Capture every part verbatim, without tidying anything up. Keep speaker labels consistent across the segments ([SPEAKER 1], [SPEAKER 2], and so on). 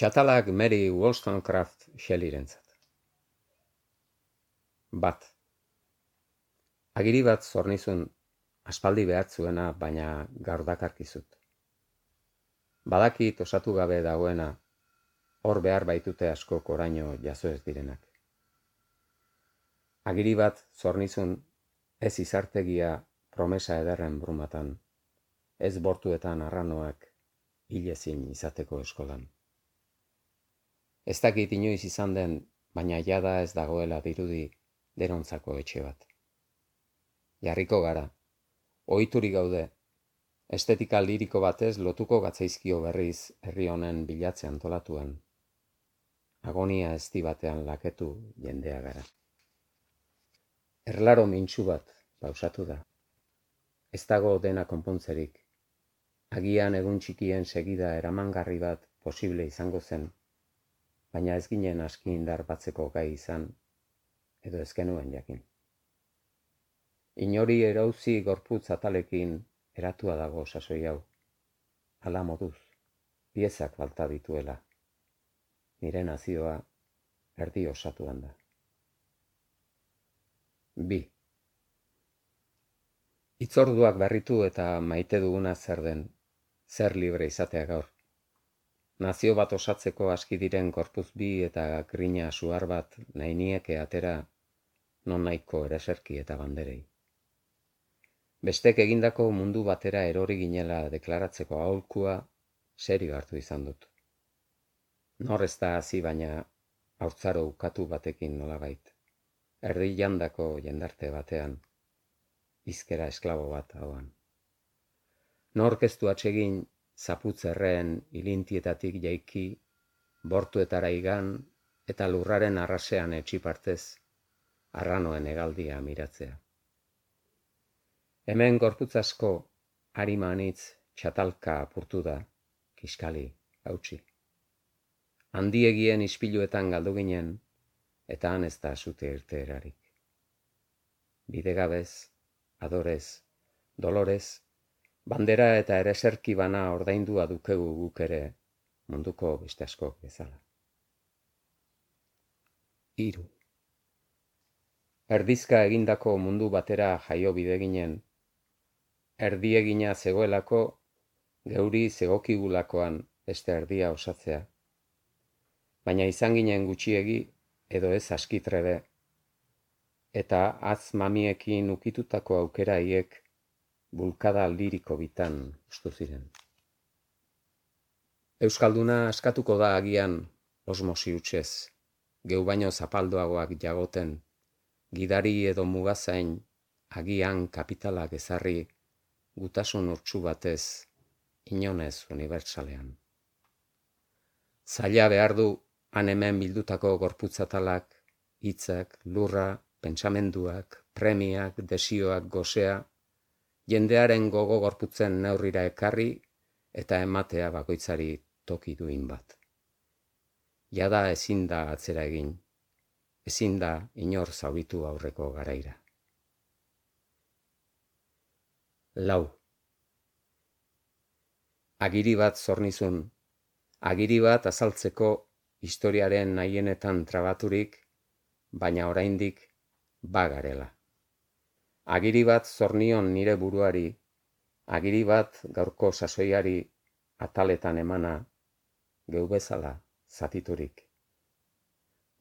[SPEAKER 1] Txatalak Mary Wollstonecraft Shelleyrentzat. Bat. Agiri bat zornizun aspaldi behartzuena, baina gaur dakarkizut. Badakit osatu gabe dagoena, hor behar baitute askok oraino jaso ez direnak. Agiri bat zornizun ez izartegia promesa ederren brumatan, ez bortuetan arranoak hilezin izateko eskolan. Ez dakit inoiz izan den, baina jada ez dagoela dirudi derontzako etxe bat. Jarriko gara, ohiturik gaude, estetika liriko batez lotuko gatzaizkio berriz herri honen bilatze antolatuen. Agonia ezti batean laketu jendea gara. Erlaro mintsu bat pausatu da. Ez dago dena konpontzerik. Agian egun txikien segida eramangarri bat posible izango zen, baina ez ginen aski indar batzeko gai izan, edo ez genuen jakin. Inori erauzi gorputz atalekin eratua dago sasoi hau. Hala moduz, piezak falta dituela. Nire nazioa erdi osatuan da. Bi. Itzorduak berritu eta maite duguna zer den, zer libre izatea gaur. Nazio bat osatzeko aski diren gorputz bi eta grina suar bat nahi nieke atera non nahiko ereserki eta banderei. Bestek egindako mundu batera erori ginela deklaratzeko aholkua serio hartu izan dut. Nor ez da hasi baina haurtzaro ukatu batekin nolabait. Erdi jandako jendarte batean, hizkera esklabo bat hauan. Nork ez du atsegin zaputzerreen ilintietatik jaiki, bortuetara igan eta lurraren arrasean etxipartez, arranoen hegaldia miratzea. Hemen gorputz asko arima anitz txatalka apurtu da, kiskali, hautsi. Handiegien ispiluetan galdu ginen, eta han ez da zute irte erarik. Bidegabez, adorez, dolorez, bandera eta ereserki bana ordaindua dukegu guk ere munduko beste askok bezala. Hiru. Erdizka egindako mundu batera jaio bide ginen, erdiegina zegoelako, geuri zegokigulakoan beste erdia osatzea. Baina izan ginen gutxiegi edo ez askitrebe, eta hatz mamiekin ukitutako aukera hiek bulkada liriko bitan ustu ziren. Euskalduna askatuko da agian osmosi hutsez, geu baino zapaldoagoak jagoten, gidari edo mugazain agian kapitalak ezarri gutasun urtsu batez, inonez unibertsalean. Zaila behar du han hemen bildutako gorputzatalak, hitzak, lurra, pentsamenduak, premiak, desioak, gosea, jendearen gogo gorputzen neurrira ekarri eta ematea bakoitzari toki duin bat. Jada ezin da atzera egin, ezin da inor zauritu aurreko garaira. Lau. Agiri bat zornizun, agiri bat azaltzeko historiaren nahienetan trabaturik, baina oraindik bagarela. Agiri bat zornion nire buruari, agiri bat gaurko sasoiari ataletan emana, geu bezala zatiturik.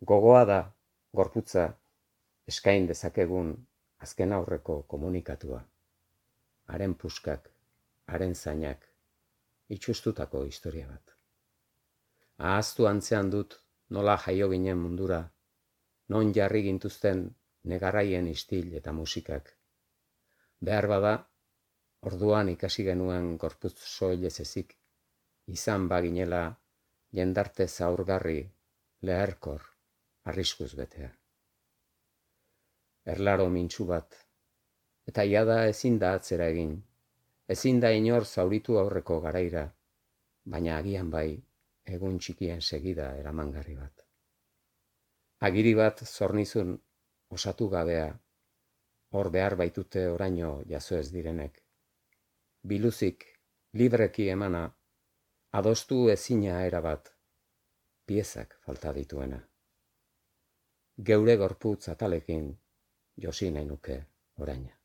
[SPEAKER 1] Gogoa da, gorputza, eskain dezakegun azken aurreko komunikatua. Haren puskak, haren zainak, itxustutako historia bat. Ahaztu antzean dut nola jaio ginen mundura, non jarri gintuzten negarraien istil eta musikak. Behar bada, orduan ikasi genuen gorputz soilez ezik, izan baginela jendarte zaurgarri, leherkor, arriskuz betea. Erlaro mintsu bat, eta jada ezin da atzera egin, ezin da inor zauritu aurreko garaira, baina agian bai egun txikien segida eramangarri bat. Agiri bat zornizun osatu gabea, hor behar baitute oraino jaso ez direnek. Biluzik, libreki emana, adostu ezina erabat, piezak falta dituena. Geure gorputz atalekin josi nahi nuke oraina.